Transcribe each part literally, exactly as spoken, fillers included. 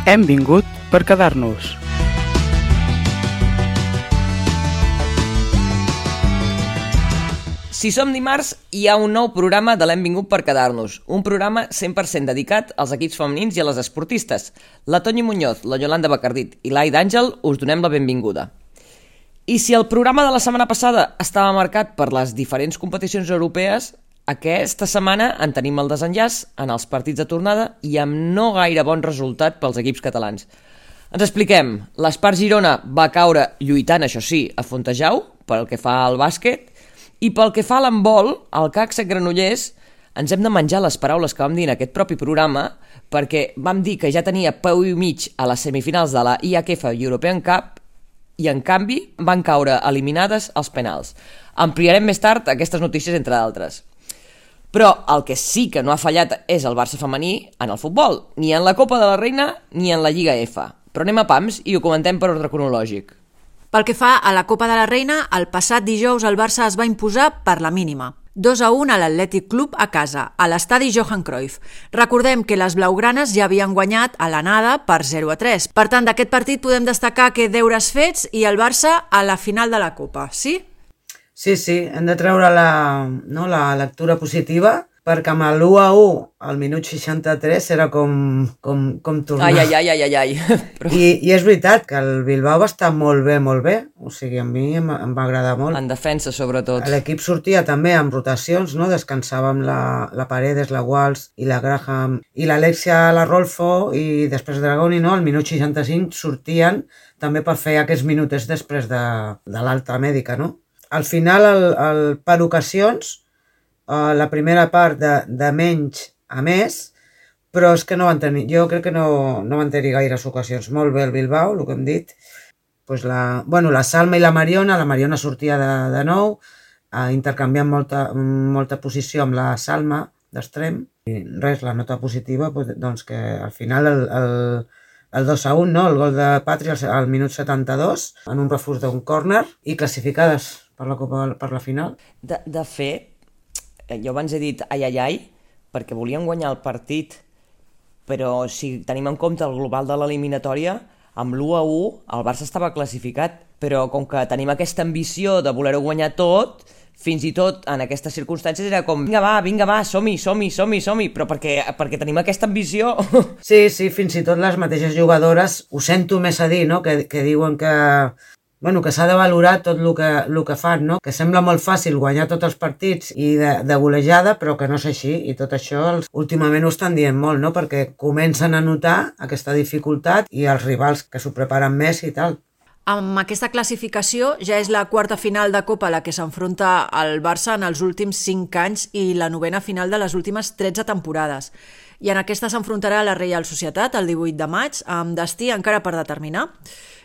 Hem vingut per quedar-nos. Si som dimarts, hi ha un nou programa de l'Hem vingut per quedar-nos. Un programa cent per cent dedicat als equips femenins i a les esportistes. La Toñi Muñoz, la Yolanda Bacardit i l'Ai d'Àngel us donem la benvinguda. I si el programa de la setmana passada estava marcat per les diferents competicions europees, aquesta setmana en tenim el desenllaç en els partits de tornada i amb no gaire bon resultat pels equips catalans. Ens expliquem. L'Espart Girona va caure lluitant, això sí, a Fontejau, pel que fa al bàsquet, i pel que fa a l'handbol, al C A C Granollers, ens hem de menjar les paraules que vam dir en aquest propi programa, perquè vam dir que ja tenia peu i mig a les semifinals de la I H F European Cup i, en canvi, van caure eliminades als penals. Ampliarem més tard aquestes notícies, entre d'altres. Però el que sí que no ha fallat és el Barça femení en el futbol, ni en la Copa de la Reina ni en la Lliga F. Però anem a pams i ho comentem per ordre cronològic. Pel que fa a la Copa de la Reina, el passat dijous el Barça es va imposar per la mínima. dos a un a l'Atlètic Club a casa, a l'estadi Johan Cruyff. Recordem que les blaugranes ja havien guanyat a l'anada per zero a tres. Per tant, d'aquest partit podem destacar que deures fets i el Barça a la final de la Copa, sí? Sí, sí, hem de treure la, no, la lectura positiva, perquè amb l'u a u al minut seixanta-tres era com, com, com tornar. Ai, ai, ai, ai, ai, ai. Però... I, I és veritat que el Bilbao va estar molt bé, molt bé. O sigui, a mi em, em va agradar molt. En defensa, sobretot. L'equip sortia també amb rotacions, no? Descansàvem la, la Paredes, la Walsh i la Graham i l'Alexia, la Rolfo i després Dragoni, no? Al minut seixanta-cinc sortien també per fer aquests minutets després de, de l'alta mèdica, no? Al final, el, el, per ocasions, Uh, la primera part de, de menys a més, però és que no van tenir, jo crec que no, no van tenir gaires ocasions. Molt bé el Bilbao, el que hem dit. Pues la, bueno, la Salma i la Mariona, la Mariona sortia de, de nou, uh, intercanviant molta, molta posició amb la Salma d'extrem. I res, la nota positiva, pues, doncs que al final el, el, el dos a un, no? El gol de Patri al, al minut setanta-dos, en un refús d'un córner, i classificades per la Copa, per la final. De, de fet, jo abans he dit ai, ai, ai, perquè volien guanyar el partit, però si tenim en compte el global de l'eliminatòria, amb l'u a u el Barça estava classificat, però com que tenim aquesta ambició de voler-ho guanyar tot, fins i tot en aquestes circumstàncies era com vinga va, vinga va, som-hi, som-hi, som-hi, som-hi, però perquè, perquè tenim aquesta ambició... Sí, sí, fins i tot les mateixes jugadores, ho sento més a dir, no?, que, que diuen que... Bueno, que s'ha de valorar tot el que, el que fan, no? Que sembla molt fàcil guanyar tots els partits i de, de golejada, però que no és així, i tot això els, últimament ho estan dient molt, no? Perquè comencen a notar aquesta dificultat i els rivals que s'ho preparen més i tal. Amb aquesta classificació ja és la quarta final de Copa a la que s'enfronta el Barça en els últims cinc anys i la novena final de les últimes tretze temporades. I en aquesta s'enfrontarà la Reial Societat el divuit de maig, amb destí encara per determinar.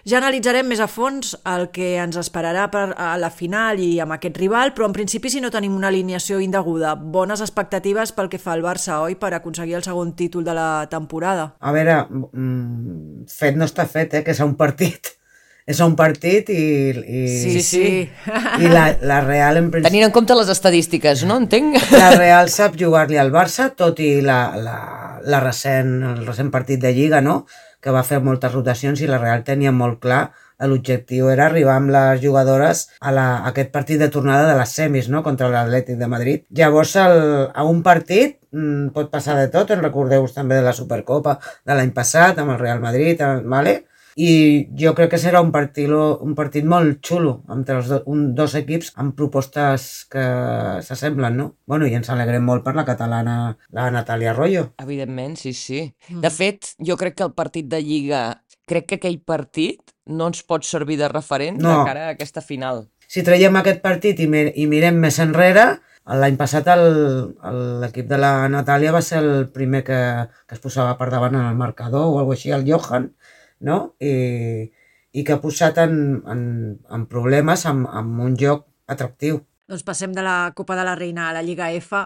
Ja analitzarem més a fons el que ens esperarà per a la final i amb aquest rival, però en principi si no tenim una alineació indeguda, bones expectatives pel que fa al Barça, oi, per aconseguir el segon títol de la temporada. A veure, fet no està fet, eh, que és un partit. És un partit i... i sí, sí. I la, la Real... En principi, tenint en compte les estadístiques, no entenc? La Real sap jugar-li al Barça, tot i la, la, la recent, el recent partit de Lliga, no?, que va fer moltes rotacions i la Real tenia molt clar l'objectiu era arribar amb les jugadores a, la, a aquest partit de tornada de les semis, no?, contra l'Atlètic de Madrid. Llavors, el, a un partit mmm, pot passar de tot, en recordeu-vos també de la Supercopa de l'any passat, amb el Real Madrid, vale? I jo crec que serà un partit, un partit molt xulo entre els do, un, dos equips amb propostes que s'assemblen, no? Bueno, i ens alegrem molt per la catalana, la Natàlia Arroyo. Evidentment, sí, sí. De fet, jo crec que el partit de Lliga, crec que aquell partit no ens pot servir de referent no. de cara a aquesta final. Si traiem aquest partit i, mir i mirem més enrere, l'any passat l'equip de la Natàlia va ser el primer que, que es posava per davant en el marcador o alguna cosa així, el Johan, no? I, i que ha posat en, en, en problemes amb, amb un joc atractiu. Doncs passem de la Copa de la Reina a la Lliga F,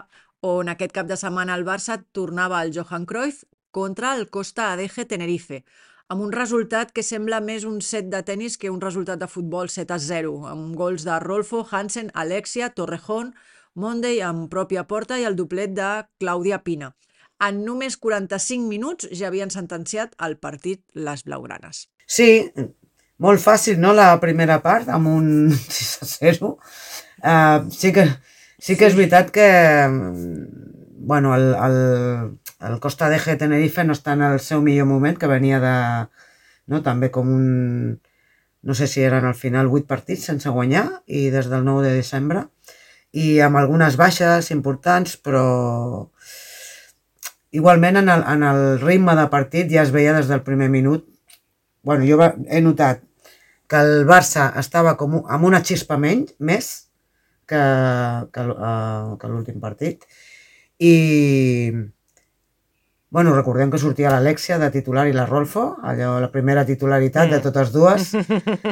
on aquest cap de setmana el Barça tornava al Johan Cruyff contra el Costa Adeje Tenerife, amb un resultat que sembla més un set de tennis que un resultat de futbol set a zero, amb gols de Rolfo, Hansen, Alexia, Torrejón, Monday amb pròpia porta i el doblet de Clàudia Pina. en només quaranta-cinc minuts ja havien sentenciat el partit les blaugranes. Sí, molt fàcil, no?, la primera part, amb un sis a zero. Uh, sí, que, sí que és veritat que bueno, el, el, el Costa d'Eje Tenerife no està en el seu millor moment, que venia de, no, també com un, no sé si eren al final vuit partits sense guanyar, i des del nou de desembre, i amb algunes baixes importants, però igualment en el, en el ritme de partit ja es veia des del primer minut. Bueno, jo he notat que el Barça estava com un, amb una xispa menys, més que, que, uh, que l'últim partit. I, bueno, recordem que sortia l'Alexia de titular i la Rolfo, allò, la primera titularitat mm. de totes dues,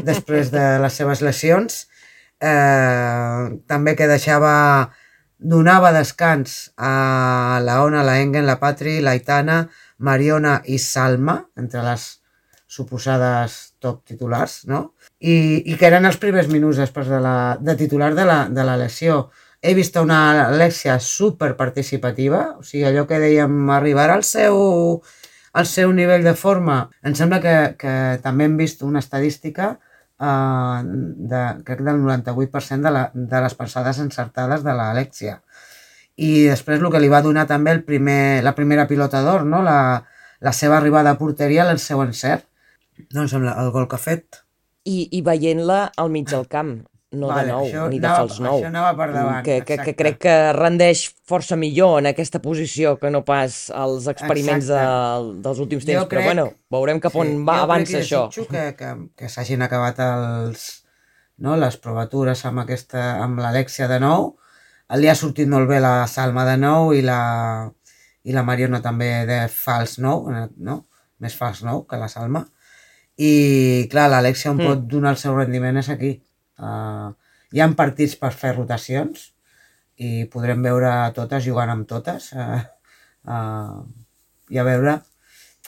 després de les seves lesions. Eh, també que deixava, donava descans a la Ona, la Engen, la Patri, la Aitana, Mariona i Salma, entre les suposades top titulars, no? I, i que eren els primers minuts després de, la, de titular de la, de la lesió. He vist una Alexia superparticipativa, o sigui, allò que dèiem, arribar al seu, al seu nivell de forma. Em sembla que, que també hem vist una estadística Uh, de, crec del noranta-vuit per cent de, la, de les passades encertades de l'Alexia. I després el que li va donar també el primer, la primera pilota d'or, no? la, la seva arribada a porteria, el seu encert. Doncs amb el gol que ha fet. I, i veient-la al mig del camp, no vale, de nou, ni de anava, fals nou. Això anava per davant, que, que, que crec que rendeix força millor en aquesta posició que no pas els experiments de, dels últims temps. Crec, però bueno, veurem cap on sí, va avança això. Jo crec que, que, que s'hagin acabat els, no, les provatures amb, aquesta, amb l'Alexia de nou. Li ha sortit molt bé la Salma de nou i la, i la Mariona també de fals nou, no? Més fals nou que la Salma. I clar, l'Alexia on mm. pot donar el seu rendiment és aquí. Uh, hi ha partits per fer rotacions i podrem veure totes jugant amb totes uh, uh, i a veure,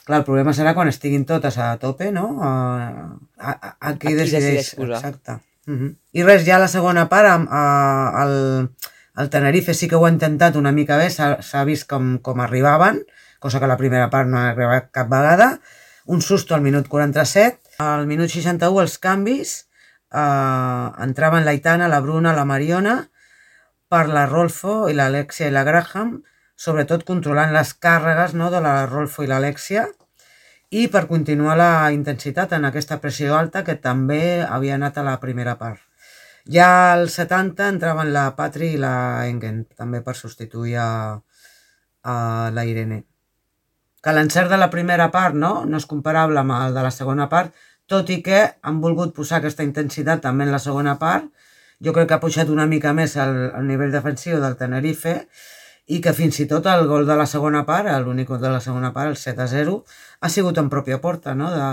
clar, el problema serà quan estiguin totes a tope, no? Uh, a, a, a qui decideix, decideix exacte. Uh -huh. I res, ja la segona part uh, el, el Tenerife sí que ho ha intentat una mica bé, s'ha vist com, com arribaven, cosa que la primera part no ha arribat cap vegada. Un susto al minut quaranta-set, al minut seixanta-u els canvis. Uh, entraven l'Aitana, la Bruna, la Mariona, per la Rolfo i l'Alexia i la Graham, sobretot controlant les càrregues, no, de la Rolfo i l'Alexia, i per continuar la intensitat en aquesta pressió alta que també havia anat a la primera part. Ja al setanta entraven la Patri i la Engen, també per substituir a, a la Irene. Que l'encert de la primera part, no, no és comparable amb el de la segona part, tot i que han volgut posar aquesta intensitat també en la segona part. Jo crec que ha pujat una mica més el, el nivell defensiu del Tenerife i que fins i tot el gol de la segona part, l'únic gol de la segona part, el set a zero, ha sigut en pròpia porta, no? de,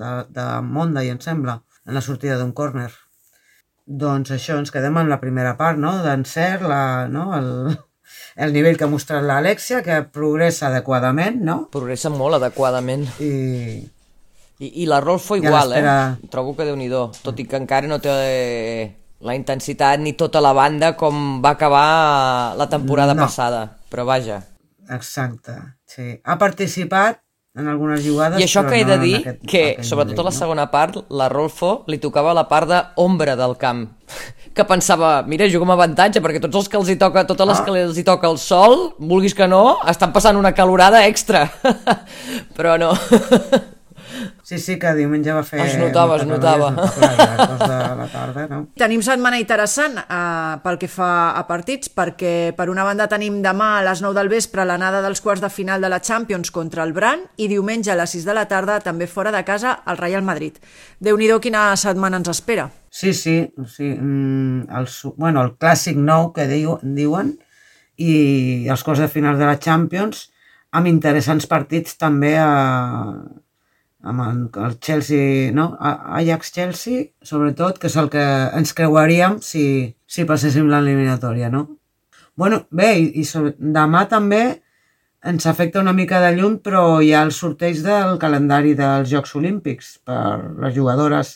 de, de Monda, i em sembla, en la sortida d'un córner. Doncs això, ens quedem amb la primera part, no? D'encert, la, no? el, el nivell que ha mostrat l'Alexia, que progressa adequadament, no? Progressa molt adequadament. I... I, i la Rolfo igual, eh? Trobo que Déu-n'hi-do, tot i que encara no té la intensitat ni tota la banda com va acabar la temporada no. passada, però vaja. Exacte, sí. Ha participat en algunes jugades, i això però que he no de dir, aquest, que sobretot a la segona part, la Rolfo li tocava la part d'ombra del camp, que pensava, mira, jugo amb avantatge, perquè tots els que els hi toca, totes les ah. que els hi toca el sol, vulguis que no, estan passant una calorada extra, però no... Sí, sí, que diumenge va fer... Es notava, es notava. De la tarda, no? Tenim setmana interessant eh, pel que fa a partits, perquè per una banda tenim demà a les nou del vespre l'anada dels quarts de final de la Champions contra el Bran i diumenge a les sis de la tarda, també fora de casa, el Real Madrid. Déu-n'hi-do quina setmana ens espera. Sí, sí, sí. El, bueno, el clàssic nou que diu, diuen i els quarts de final de la Champions amb interessants partits també a... amb el, el Chelsea, no? Ajax-Chelsea, sobretot, que és el que ens creuaríem si, si passéssim l'eliminatòria, no? Bueno, bé, i, i sobre, demà també ens afecta una mica de llum, però hi ha el sorteig del calendari dels Jocs Olímpics per les jugadores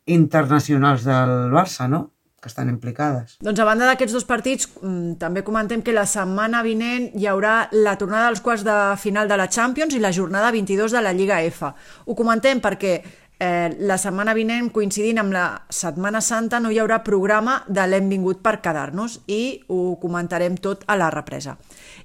internacionals del Barça, no? que estan implicades. Doncs a banda d'aquests dos partits, també comentem que la setmana vinent hi haurà la tornada dels quarts de final de la Champions i la jornada vint-i-dos de la Lliga F. Ho comentem perquè eh, la setmana vinent, coincidint amb la Setmana Santa, no hi haurà programa de l'Hem vingut per quedar-nos i ho comentarem tot a la represa.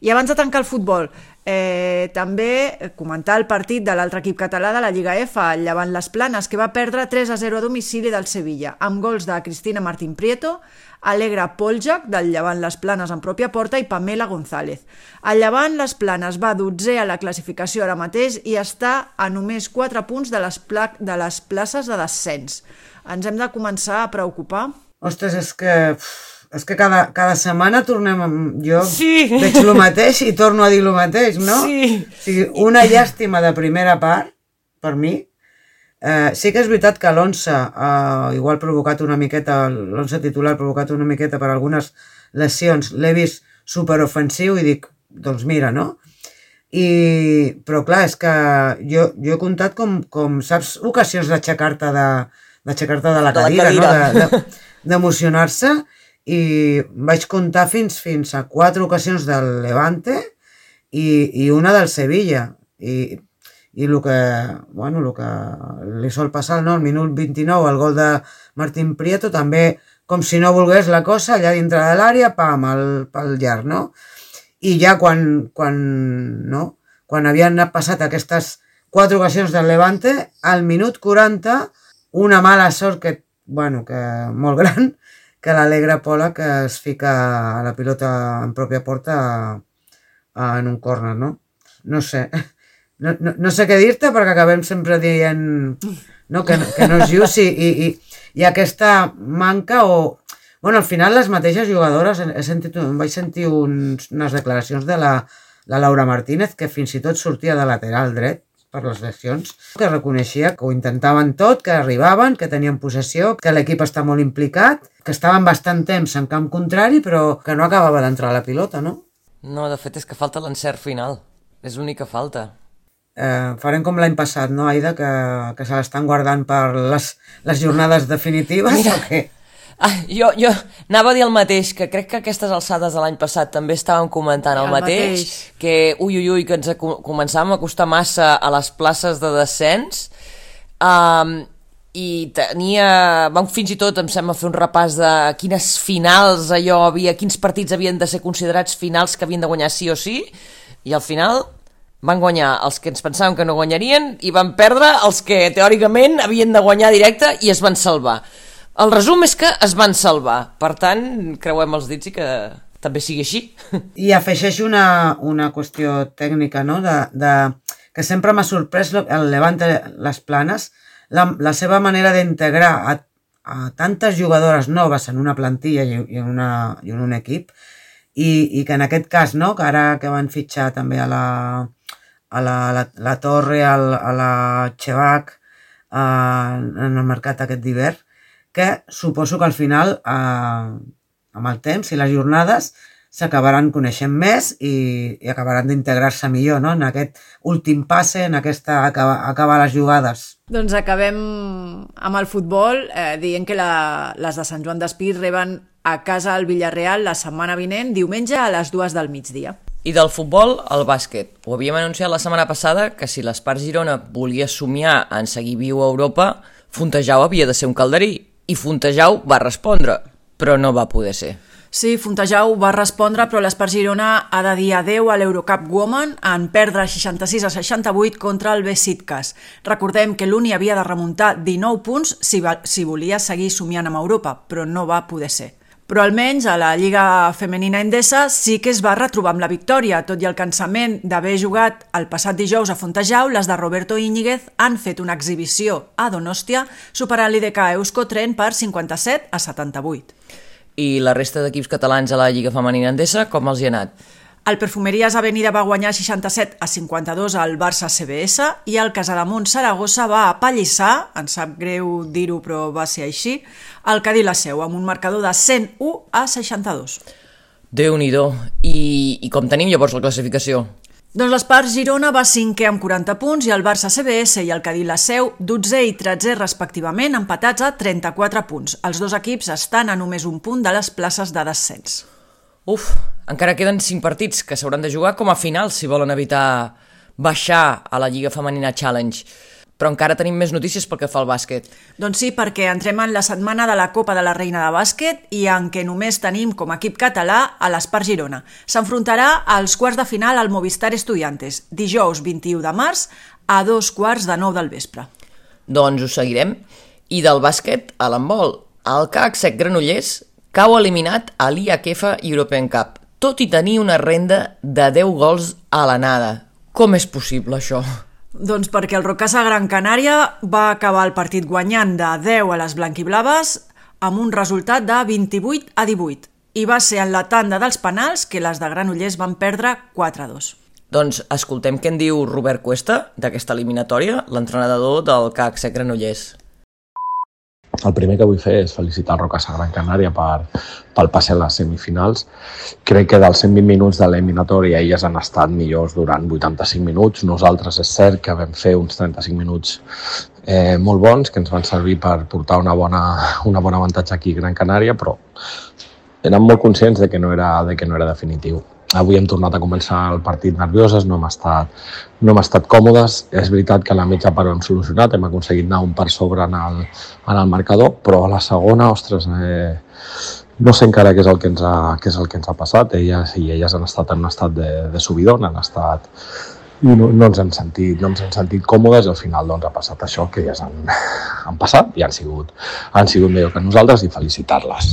I abans de tancar el futbol, eh, també comentar el partit de l'altre equip català de la Lliga F, el Llevant Les Planes, que va perdre tres a zero a domicili del Sevilla, amb gols de Cristina Martín Prieto, Alegra Poljak, del Llevant Les Planes en pròpia porta, i Pamela González. El Llevant Les Planes va dotzè a la classificació ara mateix i està a només quatre punts de les, pla de les places de descens. Ens hem de començar a preocupar? Ostres, és que... És que cada, cada setmana tornem... Jo sí. veig el mateix i torno a dir el mateix, no? Sí. O sigui, una llàstima de primera part, per mi. Eh, sí que és veritat que l'onze ha eh, igual provocat una miqueta, l'onze titular ha provocat una miqueta per algunes lesions. L'he vist superofensiu i dic, doncs mira, no? I, però clar, és que jo, jo he comptat com, com saps, ocasions d'aixecar-te de, d'aixecar-te de la cadira, de la cadira. No? D'emocionar-se. I vaig comptar fins, fins a quatre ocasions del Levante i, i una del Sevilla. I, i el que, bueno, el que li sol passar, no? El minut vint-i-nou, el gol de Martín Prieto, també, com si no volgués la cosa, allà dintre de l'àrea, pam, el, pel llarg, no? I ja quan, quan, no? quan havien passat aquestes quatre ocasions del Levante, al minut quaranta, una mala sort que, bueno, que molt gran, que l'Alegra Pola que es fica a la pilota en pròpia porta a, a, en un córner, no? No sé. No, no, no sé què dir-te perquè acabem sempre dient no, que, que no és just i, i, i, i aquesta manca o... Bueno, al final les mateixes jugadores, he sentit, vaig sentir uns, unes declaracions de la, la Laura Martínez que fins i tot sortia de lateral dret per les lesions, que reconeixia que ho intentaven tot, que arribaven, que tenien possessió, que l'equip està molt implicat, que estaven bastant temps en camp contrari, però que no acabava d'entrar la pilota, no? No, de fet és que falta l'encert final. És l'única falta. Eh, farem com l'any passat, no, Aida? Que, que se l'estan guardant per les, les jornades definitives, Mira. O què? Ah, jo, jo anava a dir el mateix, que crec que aquestes alçades de l'any passat també estàvem comentant el, el mateix, mateix, que ui, ui, ui, que ens començàvem a costar massa a les places de descens, um, i tenia, vam fins i tot, em sembla, fer un repàs de quines finals allò havia, quins partits havien de ser considerats finals que havien de guanyar sí o sí, i al final van guanyar els que ens pensàvem que no guanyarien i van perdre els que teòricament havien de guanyar directe i es van salvar. El resum és que es van salvar, per tant, creuem els dits i que també sigui així. I afegeixo una, una qüestió tècnica, no?, de, de, que sempre m'ha sorprès el Levante Les Planes, la, la seva manera d'integrar a, a tantes jugadores noves en una plantilla i, i, en, una, i en un equip, i, i que en aquest cas, no?, que ara que van fitxar també a la, a la, la, la Torre, a la, a la Chevac, a, en el mercat aquest d'hivern, que suposo que al final, eh, amb el temps i les jornades, s'acabaran coneixent més i, i acabaran d'integrar-se millor, no?, en aquest últim passe, en aquesta acabar, acabar les jugades. Doncs acabem amb el futbol, eh, dient que la, les de Sant Joan d'Espí reben a casa al Villarreal la setmana vinent, diumenge a les dues del migdia. I del futbol, al bàsquet. Ho havíem anunciat la setmana passada que si l'Espart Girona volia somiar en seguir viu a Europa, Fontejau havia de ser un calderí. I Fontejau va respondre, però no va poder ser. Sí, Fontejau va respondre, però l'Espart Girona ha de dir adeu a l'Eurocup Women en perdre seixanta-sis a seixanta-vuit contra el Besiktas. Recordem que l'Uni havia de remuntar dinou punts si, va, si volia seguir somiant amb Europa, però no va poder ser. Però almenys a la Lliga Femenina Endesa sí que es va retrobar amb la victòria. Tot i el cansament d'haver jugat el passat dijous a Fontejau, les de Roberto Íñiguez han fet una exhibició a Donòstia, superant l'I D K Euskotren per cinquanta-set a setanta-vuit. I la resta d'equips catalans a la Lliga Femenina Endesa, com els hi ha anat? El Perfumeries Avenida va guanyar seixanta-set a cinquanta-dos al Barça C B S i el Casademont Saragossa va apallissar, ens sap greu dir-ho però va ser així, el Cadí la Seu amb un marcador de cent u a seixanta-dos. Déu-n'hi-do. I, I com tenim llavors la classificació? Doncs l'Espart Girona va cinquè amb quaranta punts i el Barça C B S i el Cadí La Seu dotzè i tretzè respectivament, empatats a trenta-quatre punts. Els dos equips estan a només un punt de les places de descens. Uf, encara queden cinc partits que s'hauran de jugar com a final si volen evitar baixar a la Lliga Femenina Challenge. Però encara tenim més notícies pel que fa al bàsquet. Doncs sí, perquè entrem en la setmana de la Copa de la Reina de Bàsquet i en què només tenim com a equip català a l'Espart Girona. S'enfrontarà als quarts de final al Movistar Estudiantes, dijous vint-i-u de març a dos quarts de nou del vespre. Doncs ho seguirem. I del bàsquet a l'handbol. El C A C Sec Granollers cau eliminat a l'I H F European Cup, tot i tenir una renda de deu gols a l'anada. Com és possible això? Doncs perquè el Rocasa Gran Canària va acabar el partit guanyant de deu a les blanquiblaves amb un resultat de vint-i-vuit a divuit i va ser en la tanda dels penals que les de Granollers van perdre quatre a dos. Doncs escoltem què en diu Robert Cuesta d'aquesta eliminatòria, l'entrenador del C A C Sec Granollers. El primer que vull fer és felicitar el Rocasa Gran Canària per, pel passe a les semifinals. Crec que dels cent vint minuts de l'eliminatòria elles han estat millors durant vuitanta-cinc minuts. Nosaltres és cert que vam fer uns trenta-cinc minuts eh, molt bons que ens van servir per portar una bona, una bona avantatge aquí a Gran Canària, però érem molt conscients de que no era, de que no era definitiu. Avui hem tornat a començar el partit nervioses, no hem estat, no hem estat còmodes. És veritat que a la mitja part ho hem solucionat, hem aconseguit anar un per sobre en el, en el marcador, però a la segona, ostres, eh, no sé encara què és el que ens ha, què és el que ens ha passat. Elles i elles han estat en un estat de, de subidon, han estat... I no, no, ens hem sentit, no ens hem sentit còmodes i al final doncs, ha passat això, que elles han, han passat i han sigut, han sigut millor que nosaltres i felicitar-les.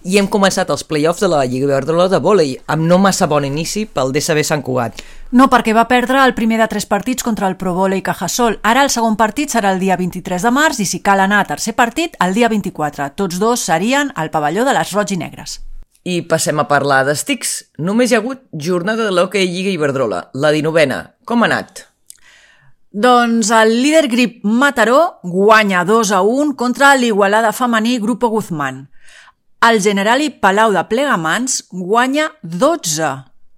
I hem començat els play-offs de la Lliga Iberdrola de vòlei, amb no massa bon inici pel D S B Sant Cugat. No, perquè va perdre el primer de tres partits contra el Pro Vòlei Cajasol. Ara el segon partit serà el dia vint-i-tres de març i si cal anar a tercer partit, el dia vint-i-quatre. Tots dos serien al pavelló de les Roig i Negres. I passem a parlar d'estics. Només hi ha hagut jornada de l'Hockey Lliga Iberdrola, la dinovena. Com ha anat? Doncs el líder grip Mataró guanya dos a un contra l'Igualada femení Grupo Guzmán. El Generali Palau de Plegamans guanya dotze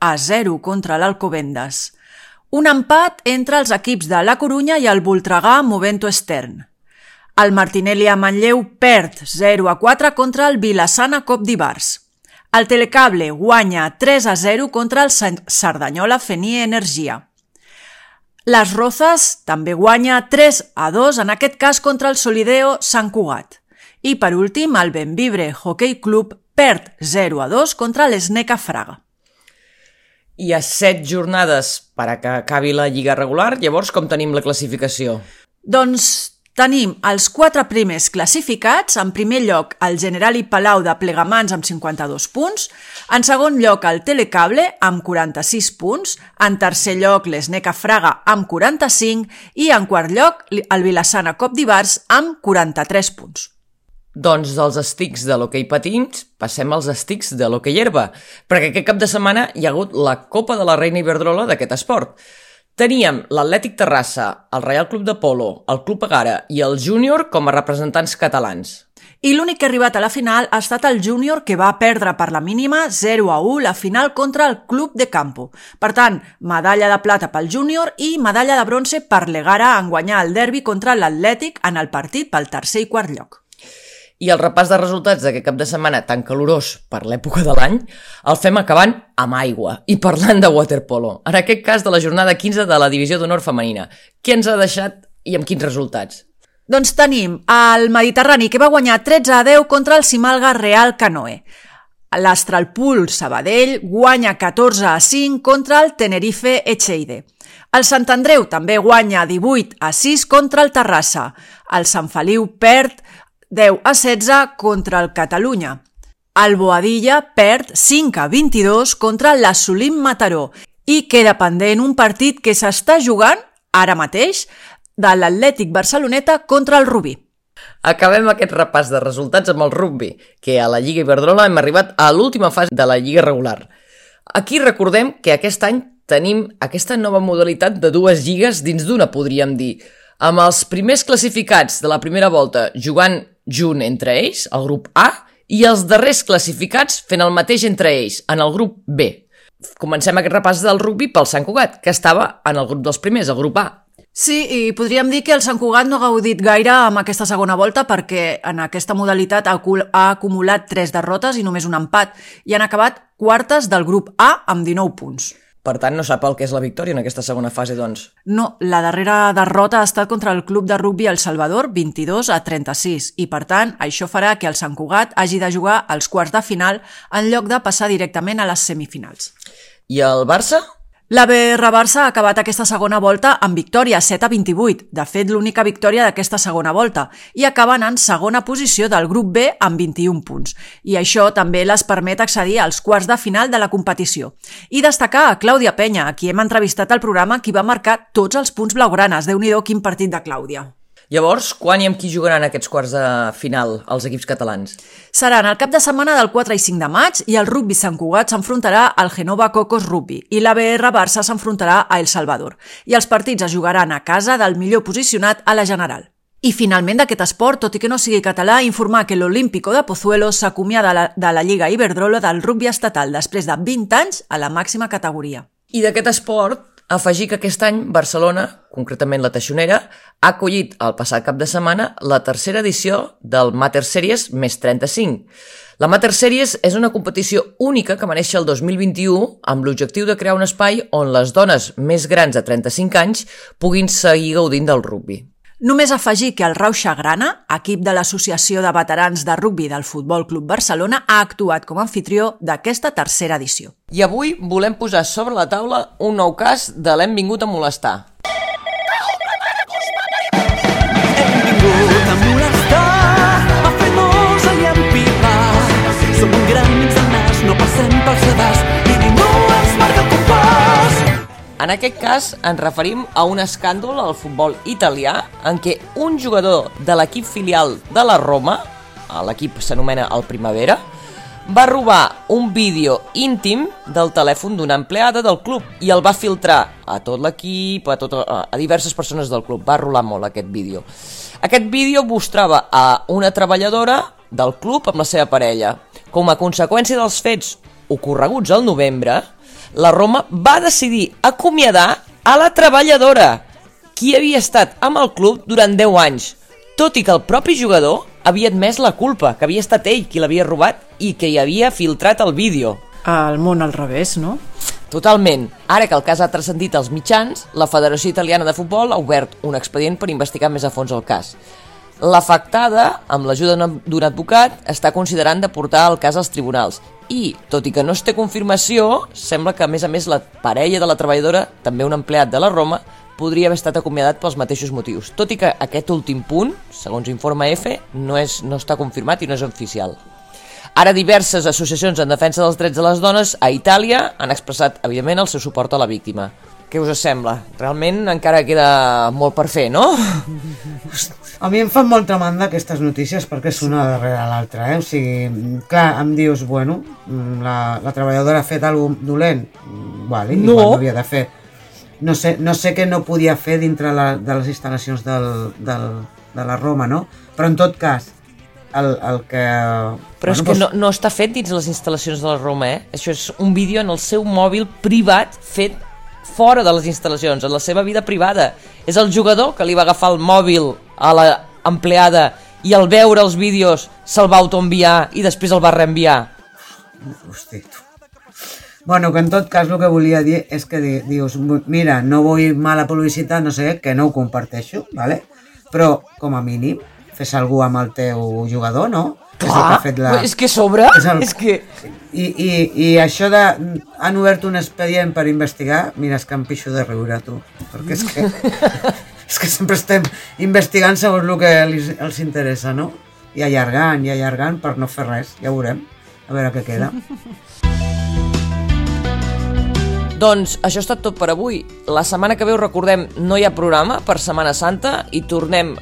a zero contra l'Alcobendas. Un empat entre els equips de La Corunya i el Voltregà Movento Estern. El Martinelli a Manlleu perd zero a quatre contra el Vilassana Cop d'Ibars. El Telecable guanya tres a zero contra el Cerdanyola Fenie Energia. Les Rozas també guanya tres a dos, en aquest cas contra el Solideo Sant Cugat. I per últim, el Benvibre Hockey Club perd zero a dos contra l'Sneca Fraga. Hi ha set jornades per a que acabi la lliga regular, llavors com tenim la classificació? Doncs tenim els quatre primers classificats, en primer lloc el Generali Palau de Plegamans amb cinquanta-dos punts, en segon lloc el Telecable amb quaranta-sis punts, en tercer lloc l'Sneca Fraga amb quaranta-cinc i en quart lloc el Vilassana Cop d'Ibars amb quaranta-tres punts. Doncs dels estics de l'hoquei patins passem als estics de l'hoquei herba, perquè aquest cap de setmana hi ha hagut la Copa de la Reina Iberdrola d'aquest esport. Teníem l'Atlètic Terrassa, el Reial Club de Polo, el Club Egara i el Júnior com a representants catalans. I l'únic que ha arribat a la final ha estat el Júnior, que va perdre per la mínima zero a u la final contra el Club de Campo. Per tant, medalla de plata pel Júnior i medalla de bronze per l'Egara en guanyar el derbi contra l'Atlètic en el partit pel tercer i quart lloc. I el repàs de resultats d'aquest cap de setmana tan calorós per l'època de l'any el fem acabant amb aigua i parlant de waterpolo, en aquest cas de la jornada quinze de la Divisió d'Honor Femenina. Què ens ha deixat i amb quins resultats? Doncs tenim el Mediterrani, que va guanyar tretze a deu contra el Simalga Real Canoe. L'Astralpool Sabadell guanya catorze a cinc contra el Tenerife Echeide. El Sant Andreu també guanya divuit a sis contra el Terrassa. El Sant Feliu perd deu a setze contra el Catalunya. El Boadilla perd cinc a vint-i-dos contra l'Assolim Mataró i queda pendent un partit que s'està jugant ara mateix de l'Atlètic Barceloneta contra el Rubí. Acabem aquest repàs de resultats amb el rugbi, que a la Lliga Iberdrola hem arribat a l'última fase de la Lliga regular. Aquí recordem que aquest any tenim aquesta nova modalitat de dues lligues dins d'una, podríem dir, amb els primers classificats de la primera volta jugant junt entre ells, el grup A, i els darrers classificats fent el mateix entre ells, en el grup B. comencem aquest repàs del rugbi pel Sant Cugat, que estava en el grup dels primers, el grup A. Sí, i podríem dir que el Sant Cugat no ha gaudit gaire amb aquesta segona volta perquè en aquesta modalitat ha acumulat tres derrotes i només un empat i han acabat quartes del grup A amb dinou punts. Per tant, no sap el que és la victòria en aquesta segona fase, doncs. No, la darrera derrota ha estat contra el club de rugbi El Salvador, vint-i-dos a trenta-sis, i per tant, això farà que el Sant Cugat hagi de jugar als quarts de final en lloc de passar directament a les semifinals. I el Barça? La B R Barça ha acabat aquesta segona volta amb victòria, set a vint-i-vuit, de fet l'única victòria d'aquesta segona volta, i acaben en segona posició del grup B amb vint-i-un punts. I això també les permet accedir als quarts de final de la competició. I destacar a Clàudia Penya, a qui hem entrevistat al programa, qui va marcar tots els punts blaugranes. Déu-n'hi-do, quin partit de Clàudia. Llavors, quan i amb qui jugaran aquests quarts de final els equips catalans? Seran el cap de setmana del quatre i cinc de maig i el rugbi Sant Cugat s'enfrontarà al Genova Cocos Rugby i la B R Barça s'enfrontarà a El Salvador. I els partits es jugaran a casa del millor posicionat a la general. I finalment d'aquest esport, tot i que no sigui català, informar que l'Olímpico de Pozuelo s'acomiada de, la, de la Lliga Iberdrola del rugbi estatal després de vint anys a la màxima categoria. I d'aquest esport, afegir que aquest any Barcelona, concretament la Teixonera, ha acollit el passat cap de setmana la tercera edició del Mater Series més trenta-cinc. La Mater Series és una competició única que va néixer el dos mil vint-i-u amb l'objectiu de crear un espai on les dones més grans de trenta-cinc anys puguin seguir gaudint del rugbi. Només afegir que el Rauxa Grana, equip de l'Associació de Veterans de Rugbi del Futbol Club Barcelona, ha actuat com a anfitrió d'aquesta tercera edició. I avui volem posar sobre la taula un nou cas de l'hem vingut a molestar. Hem vingut a molestar, a fer-nos i a empipar. Som un gran mig de nas, no passem pel sedàs i ningú ens marca el compàs. En aquest cas ens referim a un escàndol al futbol italià en què un jugador de l'equip filial de la Roma, l'equip s'anomena el Primavera, va robar un vídeo íntim del telèfon d'una empleada del club i el va filtrar a tot l'equip, a, tot, a diverses persones del club. Va rolar molt aquest vídeo. Aquest vídeo mostrava a una treballadora del club amb la seva parella. Com a conseqüència dels fets ocorreguts al novembre, la Roma va decidir acomiadar a la treballadora, qui havia estat amb el club durant deu anys, tot i que el propi jugador havia admès la culpa, que havia estat ell qui l'havia robat i que hi havia filtrat el vídeo. El món al revés, no? Totalment. Ara que el cas ha transcendit als mitjans, la Federació Italiana de Futbol ha obert un expedient per investigar més a fons el cas. L'afectada, amb l'ajuda d'un advocat, està considerant de portar el cas als tribunals i, tot i que no es té confirmació, sembla que a més a més la parella de la treballadora, també un empleat de la Roma, podria haver estat acomiadat pels mateixos motius, tot i que aquest últim punt, segons informa F, no, és, no està confirmat i no és oficial. Ara diverses associacions en defensa dels drets de les dones a Itàlia han expressat, evidentment, el seu suport a la víctima. Què us sembla? Realment encara queda molt per fer, no? A mi em fan molta mandra aquestes notícies perquè és una darrere l'altra, eh? O sigui, clar, em dius, bueno, la, la treballadora ha fet alguna cosa dolent, vale, no. Igual no havia de fer. No sé, no sé què no podia fer dintre la, de les instal·lacions del, del, de la Roma, no? Però en tot cas, el, el que... Però bueno, és que doncs... no, no està fet dins les instal·lacions de la Roma, eh? Això és un vídeo en el seu mòbil privat fet fora de les instal·lacions, en la seva vida privada. És el jugador que li va agafar el mòbil a la empleada i al veure els vídeos se'l va autoenviar i després el va reenviar. Hosti, tu. Bueno, que en tot cas el que volia dir és que di, dius, mira, no vull mala publicitat, no sé, que no ho comparteixo, ¿vale? Però com a mínim fes alguna amb el teu jugador, no? Clar, és, que ha fet la... és que sobre, és, el... és que... I, i, i això de... Han obert un expedient per investigar, mira, és que em pixo de riure, tu, perquè és que... és que sempre estem investigant segons el que els interessa, no? I allargant, i allargant per no fer res, ja veurem, a veure què queda. Doncs això ha estat tot per avui. La setmana que ve, us recordem, no hi ha programa per Setmana Santa i tornem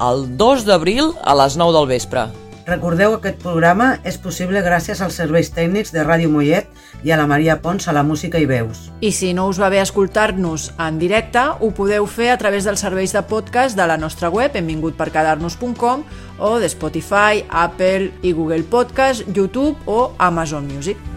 el dos d'abril a les nou del vespre. Recordeu que aquest programa és possible gràcies als serveis tècnics de Ràdio Mollet i a la Maria Pons a la música i veus. I si no us va bé escoltar-nos en directe, ho podeu fer a través dels serveis de podcast de la nostra web, hem vingut per quedar-nos punt com, o de Spotify, Apple i Google Podcast, YouTube o Amazon Music.